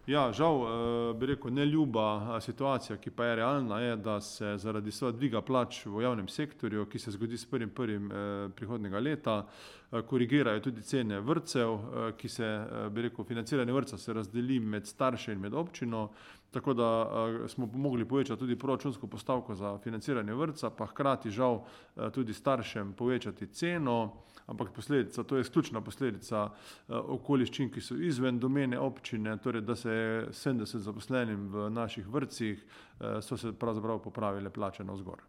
Ja, žal, bi rekel, neljuba situacija, ki pa je realna, je, da se zaradi seveda dviga plač v javnem sektorju, ki se zgodi s 1.1. Prihodnjega leta, korigirajo tudi cene vrtcev, ki se, bi rekel, financiranje vrtca se razdeli med starše in med občino, tako da smo mogli povečati tudi proračunsko postavko za financiranje vrtca, pa hkrati žal tudi staršem povečati ceno, ampak posledica, to je izključna posledica okoliščin, ki so izven domene občine, torej da se je 70 zaposlenim v naših vrtcih, so se pravzaprav popravile plače navzgor.